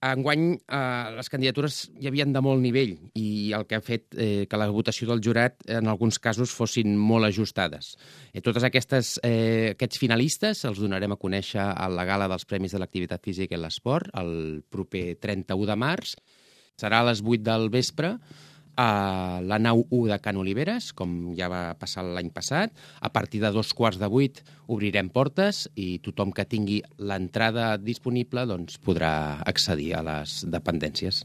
Enguany, les candidatures hi havien de molt nivell i el que ha fet que la votació del jurat en alguns casos fossin molt ajustades. Tots aquests finalistes els donarem a conèixer a la gala dels Premis de l'Activitat Física i l'Esport el proper 31 de març. Serà a les 8 del vespre a la nau 1 de Can Oliveres, com ja va passar l'any passat. A partir de 7:15 obrirem portes i tothom que tingui l'entrada disponible doncs, podrà accedir a les dependències.